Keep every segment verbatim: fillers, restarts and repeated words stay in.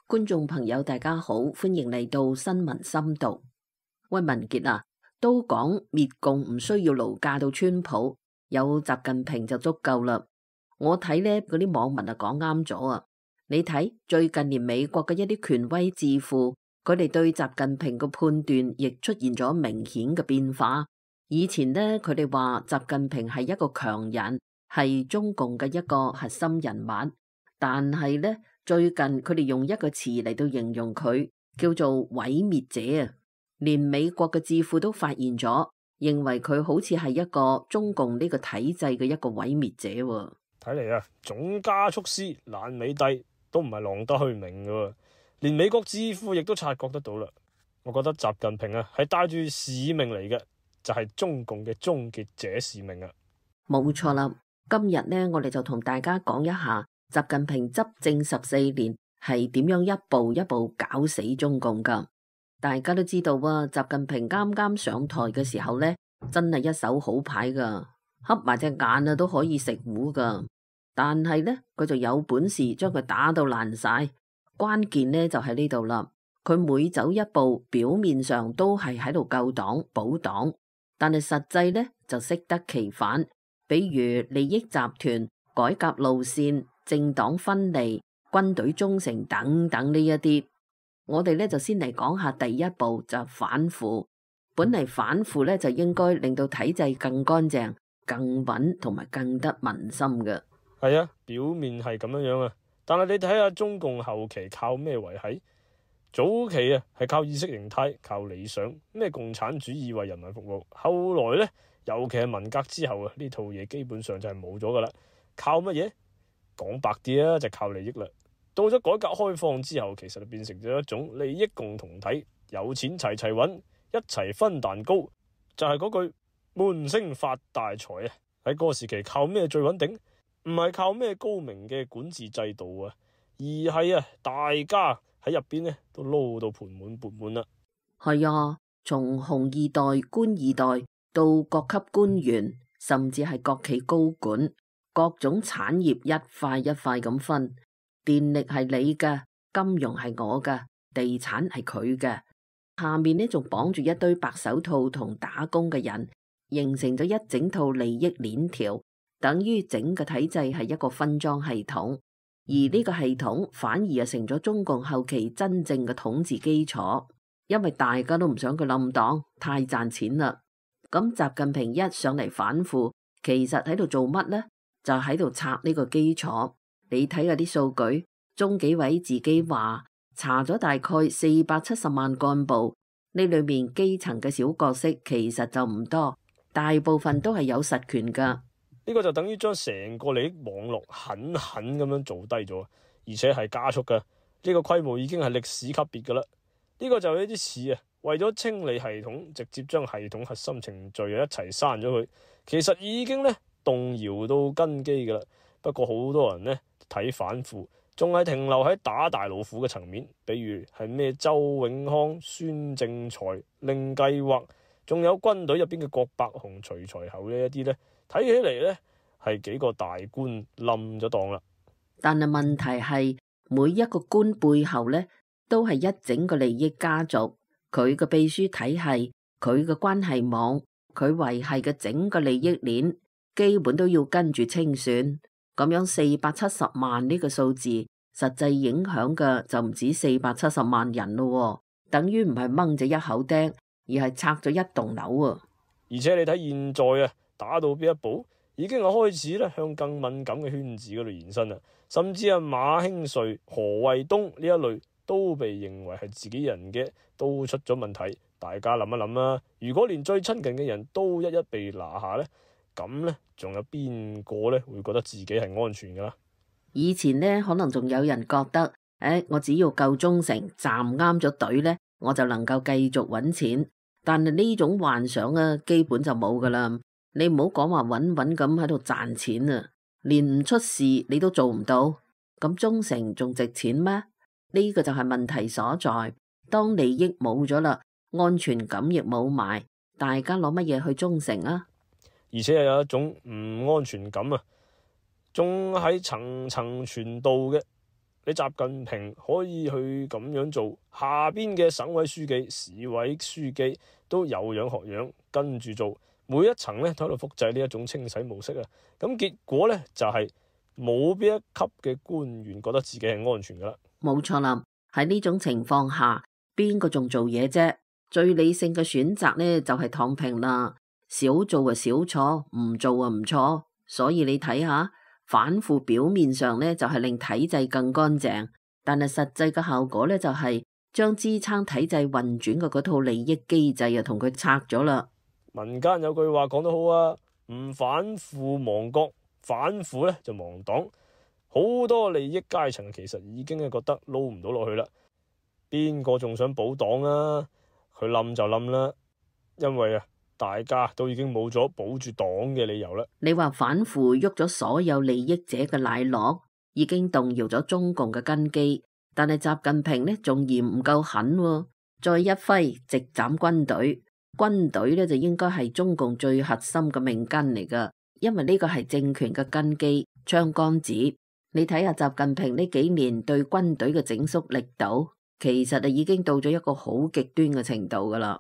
觀眾朋友大家好，歡迎嚟到新聞深度。喂，文傑啊，都講滅共唔需要勞駕到川普，有習近平就足夠啦。我睇呢嗰啲網民啊講啱咗啊。你睇最近連美國嘅一啲權威智庫，佢哋對習近平嘅判斷亦出現咗明顯嘅變化。以前呢，佢哋話習近平係一個強人，係中共嘅一個核心人物，但係呢。最近佢哋用一個詞嚟到形容佢，叫做毀滅者啊！連美國嘅智庫都發現咗，認為佢好似係一個中共呢個體制嘅一個毀滅者。睇嚟啊，總加速師爛尾帝都唔係浪得虛名噶，連美國智庫亦都察覺得到啦。我覺得習近平啊係帶住使命嚟嘅，就係中共嘅終結者使命啊！冇錯啦，今日呢，我哋就同大家講一下。習近平執政十四年係點樣一步一步搞死中共噶？大家都知道啊，習近平啱啱上台嘅時候呢，真係一手好牌噶，瞌埋隻眼啊都可以食糊噶。但係呢，佢就有本事將佢打到爛晒。關鍵呢就喺呢度啦，佢每走一步，表面上都係喺度救黨保黨，但係實際呢就適得其反。比如利益集團、改革路線、政黨分離、軍隊忠誠等等呢一啲，我哋咧就先嚟講下第一步就反腐。本嚟反腐咧就應該令到體制更乾淨、更穩同埋更得民心嘅。係啊，表面係咁樣樣啊，但係你睇下中共後期靠咩維繫？早期啊係靠意識形態、靠理想，咩共產主義為人民服務。後來咧，尤其係文革之後啊，呢套嘢基本上就係冇咗噶啦。靠乜嘢？講白啲啊，就靠利益啦。到咗改革開放之後，其實就變成咗一種利益共同體，有錢齊齊揾，一齊分蛋糕，就係嗰句悶聲發大財啊！喺嗰個時期靠咩最穩定？唔係靠咩高明嘅管治制度啊，而係啊大家喺入邊呢都撈到盆滿缽滿啦。係啊，從紅二代、官二代到各級官員，甚至係國企高管。各種產業一塊一塊咁分，電力係你嘅，金融係我嘅，地產係佢嘅。下面呢仲綁住一堆白手套同打工嘅人，形成咗一整套利益鏈條，等於整個體制係一個分贓系統。而呢個系統反而啊成咗中共後期真正嘅統治基礎，因為大家都唔想佢冧黨，太賺錢啦。咁習近平一上嚟反腐，其實喺度做乜呢？就喺度拆呢個基礎。你睇下啲數據，中紀委自己話查咗大概四百七十萬幹部，呢裏面基層嘅小角色其實就唔多，大部分都係有實權噶。呢個就等於將成個利益網絡狠狠咁樣做低咗，而且係加速噶。呢個規模已經係歷史級別噶啦。呢個就有啲似啊，為咗清理系統，直接將系統核心程序一齊刪咗佢，其實已經呢。動搖到根基噶啦，不過好多人呢睇反腐，仲係停留喺打大老虎嘅層面，比如係咩周永康、孫政才、令計劃，仲有軍隊入邊嘅郭伯雄、徐才厚呢一啲呢，睇起嚟呢係幾個大官冧咗檔啦。但係問題係每一個官背後呢，都係一整個利益家族，佢嘅秘書體系、佢嘅關係網、佢維繫嘅整個利益鏈。基本都要跟住清算，咁樣四百七十萬呢個數字，實際影響嘅就唔止四百七十萬人咯，等於唔係掹咗一口釘，而係拆咗一棟樓啊！而且你睇現在啊，打到邊一步，已經係開始咧向更敏感嘅圈子嗰度延伸啦，甚至係馬興瑞、何衛東呢一類都被認為係自己人嘅，都出咗問題。大家諗一諗啦，如果連最親近嘅人都一一被拿下呢？咁呢，仲有邊個呢會覺得自己係安全噶啦？以前呢，可能仲有人覺得，誒，我只要夠忠誠，站啱咗隊呢，我就能夠繼續揾錢。但係呢種幻想啊，基本就冇噶啦。你唔好講話穩穩咁喺度賺錢啊，連唔出事你都做唔到。咁忠誠仲值錢咩？呢個就係問題所在。當利益冇咗啦，安全感亦冇埋，大家攞乜嘢去忠誠啊？而且又有一種唔安全感啊，仲喺層層傳導嘅。你習近平可以去咁樣做，下邊嘅省委書記、市委書記都有樣學樣，跟住做，每一層咧都喺度複製呢一種清洗模式啊。咁結果咧就係冇邊一級嘅官員覺得自己係安全噶啦。冇錯啦，喺呢種情況下，邊個仲做嘢啫？最理性嘅選擇呢，就係躺平啦，少做啊少錯，唔做啊唔錯。所以你睇下，反腐表面上呢，就係令體制更乾淨，但係實際嘅效果呢，就係將支撐體制運轉嘅嗰套利益機制啊同佢拆咗啦。民間有句話講得好啊，唔反腐亡國，反腐咧就亡黨。好多利益階層其實已經係覺得撈唔到落去啦，邊個仲想保黨啊？佢冧就冧啦，因為啊，大家都已經冇咗保住黨嘅理由啦。你話反腐喐咗所有利益者嘅奶酪，已經動搖咗中共嘅根基，但係習近平呢仲嫌唔夠狠喎，再一揮直斬軍隊。軍隊呢就應該係中共最核心嘅命根嚟噶，因為呢個係政權嘅根基、槍桿子。你睇下習近平呢幾年對軍隊嘅整肅力度，其實啊已經到咗一個好極端嘅程度噶啦。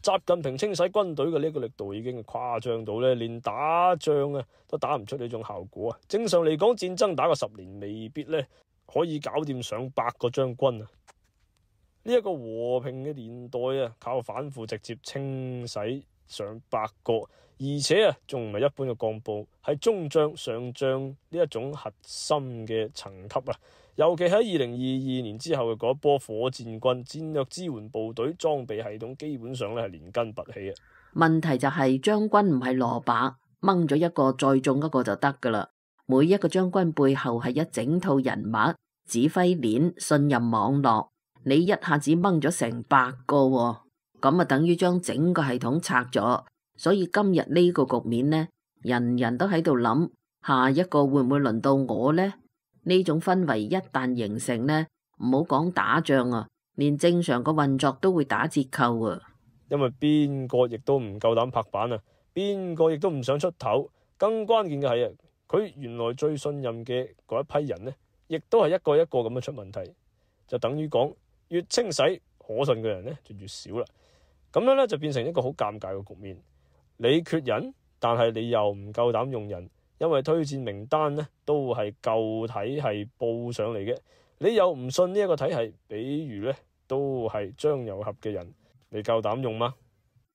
習近平清洗軍隊嘅呢個力度已經誇張到咧，連打仗啊都打唔出呢種效果啊！正常嚟講，戰爭打個十年未必咧可以搞掂上百個將軍啊！呢一個和平嘅年代啊，靠反腐直接清洗上百個，而且啊仲唔係一般嘅幹部，係中將、上將呢一種核心嘅層級啊！尤其喺二零二二年之後嘅嗰一波火箭軍、戰略支援部隊裝備系統，基本上咧係連根拔起啊！問題就係將軍唔係蘿蔔，掹咗一個再種一個就得噶啦。每一個將軍背後係一整套人物、指揮鏈、信任網絡，你一下子掹咗成百個喎，咁啊等於將整個系統拆咗。所以今日呢個局面呢，人人都喺度諗，下一個會唔會輪到我呢？呢種氛圍一旦形成呢，唔好講打仗啊，連正常個運作都會打折扣啊！因為邊個亦都唔夠膽拍板啊，邊個亦都唔想出頭。更關鍵嘅係啊，佢原來最信任嘅嗰一批人呢，亦都係一個一個咁樣出問題，就等於講越清洗可信嘅人呢就越少啦。咁樣呢，就變成一個好尷尬嘅局面。你缺人，但係你又唔夠膽用人。因為推薦名單呢都係舊體系報上嚟嘅，你又唔信呢一個體系，比如呢都係張又俠嘅人，你夠膽用嗎？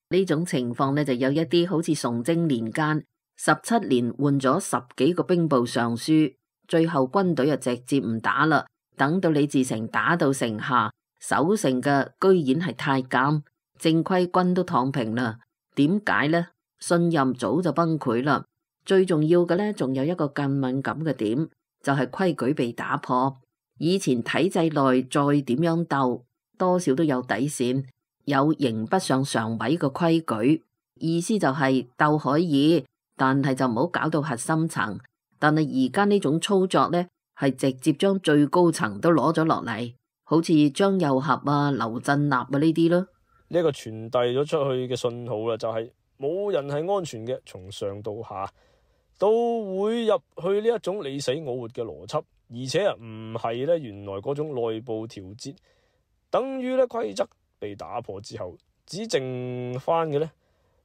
呢種情況呢就有一啲好似崇禎年間十七年換咗十幾個兵部尚書，最後軍隊就直接唔打啦，等到李自成打到城下，守城嘅居然係太監，正規軍都躺平啦。點解呢？信任早就崩潰啦。最重要嘅呢，仲有一個更敏感嘅點，就係規矩被打破。以前體制內再點樣鬥，多少都有底線，有刑不上常委嘅規矩。意思就係鬥可以，但係就唔好搞到核心層。但係而家呢種操作呢，係直接將最高層都攞咗落嚟，好似張又俠啊、劉振立啊呢啲咯。呢一個傳遞咗出去嘅信號啦，就係冇人係安全嘅，從上到下都會入去呢一種你死我活嘅邏輯，而且啊唔係咧原來嗰種內部調節，等於咧規則被打破之後，只剩翻嘅咧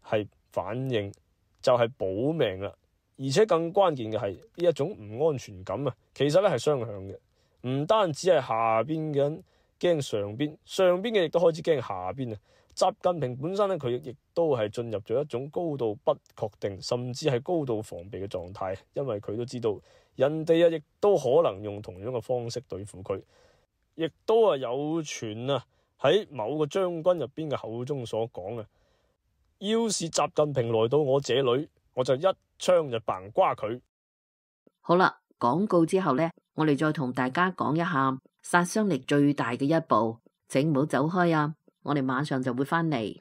係反應，就係保命啦。而且更關鍵嘅係呢一種唔安全感啊，其實咧係雙向嘅，唔單止係下邊嘅人驚上邊，上邊嘅亦都開始驚下邊啊。習近平本身咧，佢亦都係進入咗一種高度不確定，甚至係高度防備嘅狀態，因為佢都知道人哋啊，亦都可能用同樣嘅方式對付佢，亦都係有傳啊喺某個將軍入邊嘅口中所講啊，要是習近平來到我這裏，我就一槍就嘭瓜佢。好啦，廣告之後呢，我哋再同大家講一下殺傷力最大嘅一步，請唔好走開啊！我哋馬上就會翻嚟。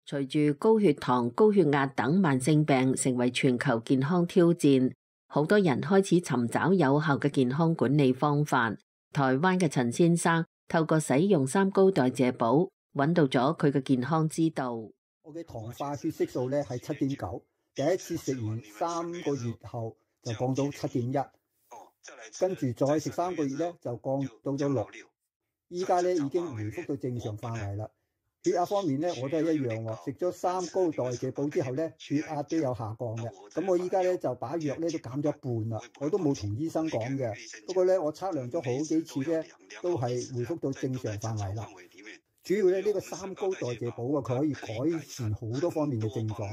隨住高血糖、高血壓等慢性病成為全球健康挑戰，好多人開始尋找有效嘅健康管理方法。台灣嘅陳先生透過使用三高代謝寶，揾到咗佢嘅健康之道。我嘅糖化血色素咧係七點九，第一次食完三個月後就降到七點一，跟住再食三個月咧就降到咗六，依家咧已經回復到正常範圍啦。血壓方面咧我都係一樣喎，食咗三高代謝補之後咧血壓都有下降嘅。咁我依家咧就把藥咧都減咗一半啦，我都冇同醫生講嘅。不過咧我測量咗好幾次咧，都係回復到正常範圍啦。主要咧呢個三高代謝補啊，佢可以改善好多方面嘅症狀，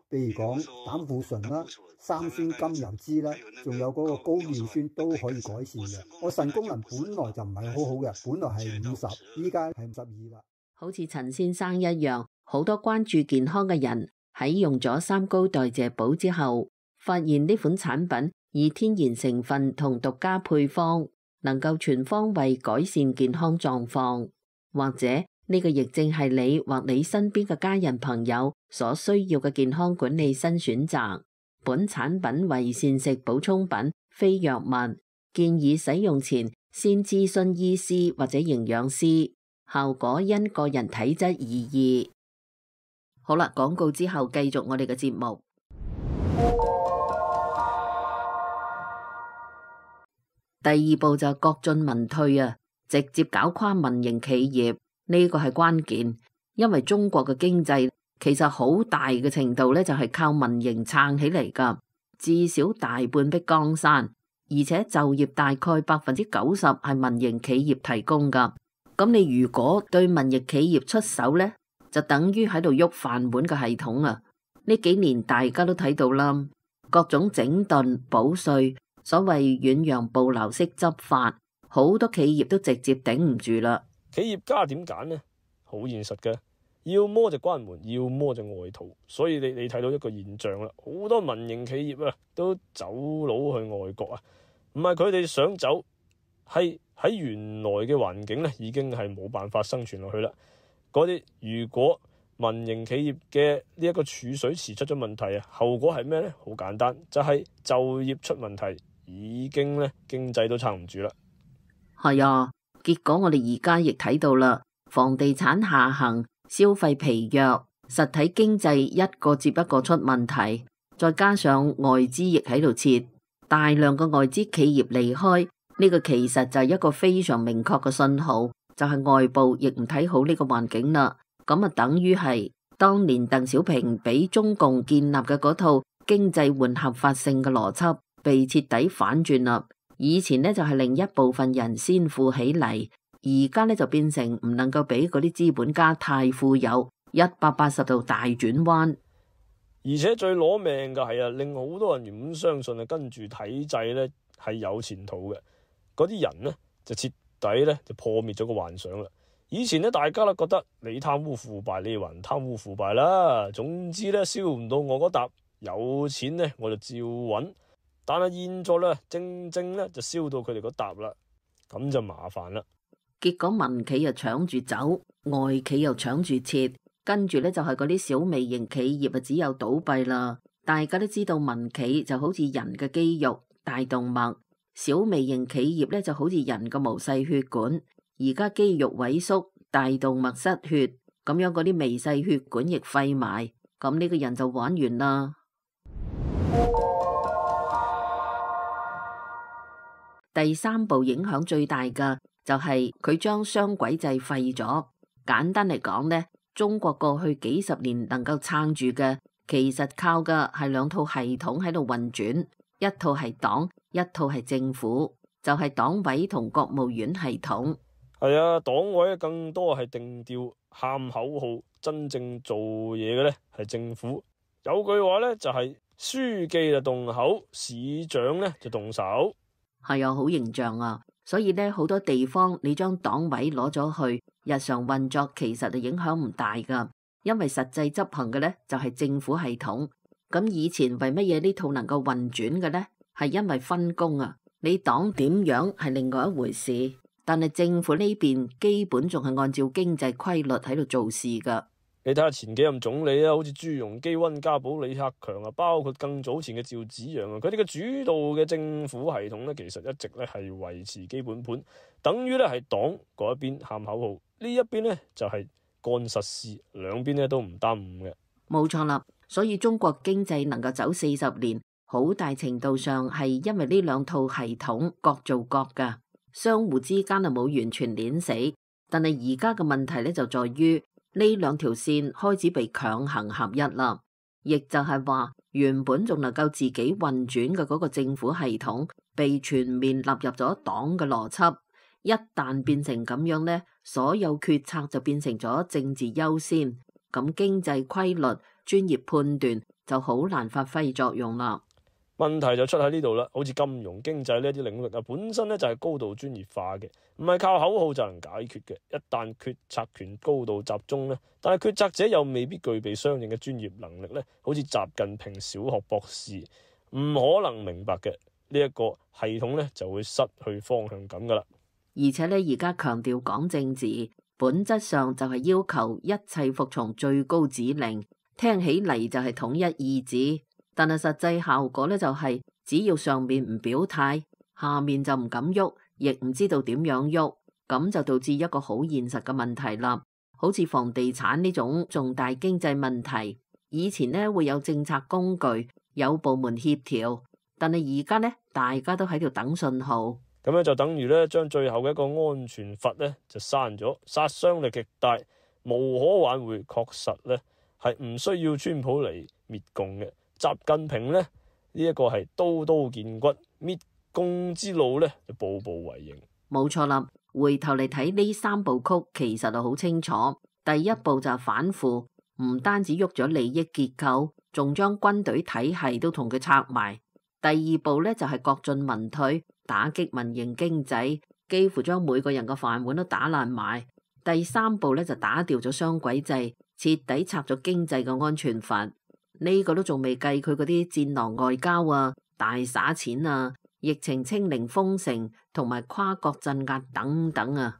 譬如講膽固醇啦、三酸甘油脂啦，仲有嗰個高尿酸都可以改善嘅。我腎功能本來就唔係好好嘅，本來係五十，依家係五十二啦。好似陳先生一樣，好多關注健康嘅人喺用咗三高代謝補之後，發現呢款產品以天然成分同獨家配方，能夠全方位改善健康狀況。或者呢個亦正係你或你身邊嘅家人朋友所需要嘅健康管理新選擇。本產品為膳食補充品，非藥物，建議使用前先諮詢醫師或者營養師，效果因個人體質而異。好啦，廣告之後繼續我哋嘅節目。第二步就國進民退啊！直接搞垮民營企業，呢個係關鍵，因為中國嘅經濟其實好大嘅程度咧就係靠民營撐起嚟噶，至少大半壁江山，而且就業大概百分之九十係民營企業提供噶。咁你如果對民營企業出手咧，就等於喺度喐飯碗嘅系統啊！呢幾年大家都睇到啦，各種整頓補稅，所謂遠洋捕撈式執法。好多企業都直接頂唔住啦。企業家點揀呢？好現實嘅，要麼就關門，要麼就外逃。所以你你睇到一個現象啦，好多民營企業啊都走佬去外國啊，唔係佢哋想走，係喺原來嘅環境咧已經係冇辦法生存落去啦。嗰啲如果民營企業嘅呢一個儲水池出咗問題啊，後果係咩呢？好簡單，就係就業出問題，已經咧經濟都撐唔住啦。係啊，結果我哋而家亦睇到啦，房地產下行，消費疲弱，實體經濟一個接一個出問題，再加上外資亦喺度撤，大量嘅外資企業離開，呢個其實就係一個非常明確嘅信號，就係外部亦唔睇好呢個環境啦。咁啊，等於係當年鄧小平俾中共建立嘅嗰套經濟換合法性嘅邏輯被徹底反轉啦。以前呢，就係另一部分人先富起嚟，而家呢，就變成唔能夠俾嗰啲資本家太富有，一百八十度大轉彎。而且最攞命嘅係啊，令好多人原本相信啊，跟住體制呢係有前途嘅，嗰啲人呢，就徹底呢就破滅咗個幻想啦。以前呢，大家都覺得你貪污腐敗，你還貪污腐敗啦，總之呢，燒唔到我嗰笪，有錢呢，我就照揾。但係現在咧，正正咧就燒到佢哋嗰笪啦，咁就麻煩啦。結果民企又搶住走，外企又搶住撤，跟住咧就係嗰啲小微型企業啊，只有倒閉啦。大家都知道民企就好似人嘅肌肉、大動脈，小微型企業咧就好似人嘅毛細血管。而家肌肉萎縮，大動脈失血，咁樣嗰啲微細血管亦廢埋，咁呢個人就玩完啦。第三步影響最大嘅就係佢將雙軌制廢咗。簡單嚟講呢，中國過去幾十年能夠撐住嘅，其實靠嘅係兩套系統喺度運轉，一套係黨，一套係政府，就係黨委同國務院系統。係啊，黨委更多係定調、喊口號，真正做嘢嘅呢係政府。有句話呢，就係書記就動口，市長呢就動手。係啊，好形象啊！所以咧，好多地方你將黨委攞咗去，日常運作其實就影響唔大噶，因為實際執行嘅咧就係政府系統。咁以前為乜嘢呢套能夠運轉嘅咧？係因為分工啊！你黨點樣係另外一回事，但係政府呢邊基本仲係按照經濟規律喺度做事噶。你睇下前幾任總理啊，好似朱鎔基、溫家寶、李克強啊，包括更早前嘅趙紫陽啊，佢哋嘅主導嘅政府系統咧，其實一直咧係維持基本盤，等於咧係黨嗰一邊喊口號，呢一邊咧就係幹實事，兩邊咧都唔耽誤嘅。冇錯啦，所以中國經濟能夠走四十年，好大程度上係因為呢兩套系統各做各㗎，相互之間啊冇完全碾死。但係而家嘅問題咧就在於呢兩條線開始被強行合一啦，亦就係話原本仲能夠自己運轉嘅嗰個政府系統被全面納入咗黨嘅邏輯。一旦變成咁樣呢，所有決策就變成咗政治優先，咁經濟規律、專業判斷就好難發揮作用啦。問題就出喺呢度啦，好似金融經濟呢啲領域啊，本身咧就係高度專業化嘅，唔係靠口號就能解決嘅。一旦決策權高度集中咧，但係決策者又未必具備相應嘅專業能力咧，好似習近平小學博士唔可能明白嘅呢一個系統咧，就會失去方向感噶啦。而且咧，而家強調講政治，本質上就係要求一切服從最高指令，聽起嚟就係統一意志。但係實際效果咧就係，只要上面唔表態，下面就唔敢喐，亦唔知道點樣喐，咁就導致一個好現實嘅問題啦。好似房地產呢種重大經濟問題，以前呢會有政策工具，有部門協調，但係而家呢，大家都喺度等信號。咁樣就等於咧將最後嘅一個安全閥咧就刪咗，殺傷力極大，無可挽回，確實咧係唔需要川普嚟滅共嘅。習近平咧呢一個係刀刀見骨，滅共之路咧就步步為營。冇錯啦，回頭嚟睇呢三部曲，其實就好清楚。第一步就係反腐，唔單止喐咗利益結構，仲將軍隊體系都同佢拆埋。第二步咧就係國進民退，打擊民營經濟，幾乎將每個人嘅飯碗都打爛埋。第三步咧就打掉咗雙軌制，徹底拆咗經濟嘅安全閥。呢個都仲未計佢嗰啲戰狼外交啊、大灑錢啊、疫情清零封城同埋跨國鎮壓等等啊，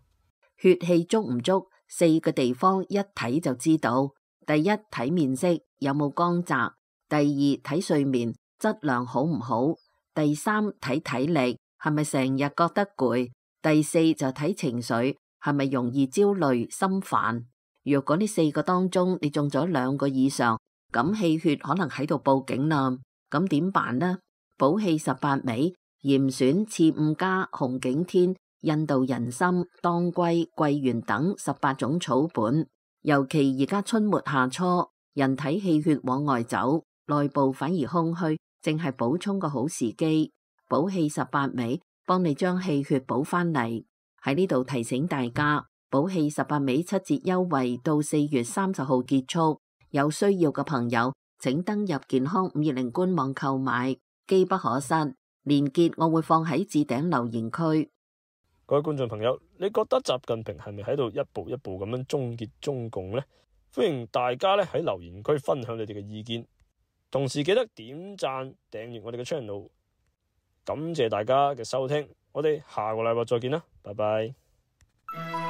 血氣足唔足？四個地方一睇就知道。第一，睇面色有冇光澤；第二，睇睡眠質量好唔好；第三，睇體力係咪成日覺得攰；第四就睇情緒係咪容易焦慮心煩。若果呢四個當中你中咗兩個以上，咁氣血可能喺度報警啦，咁點辦呢？補氣十八味、嚴選、刺五加、紅景天、印度人參、當歸、桂圓等十八種草本，尤其而家春末夏初，人體氣血往外走，內部反而空虛，正係補充個好時機。補氣十八味幫你將氣血補翻嚟。喺呢度提醒大家，補氣十八味七折優惠到四月三十號結束。有需要嘅朋友，請登入健康五二零官網購買，機不可失。連結我會放喺置頂留言區。各位觀眾朋友，你覺得習近平係咪喺度一步一步咁樣終結中共呢？歡迎大家咧喺留言區分享你哋嘅意見，同時記得點讚訂閱我哋嘅 channel。感謝大家嘅收聽，我哋下個禮拜再見啦，拜拜。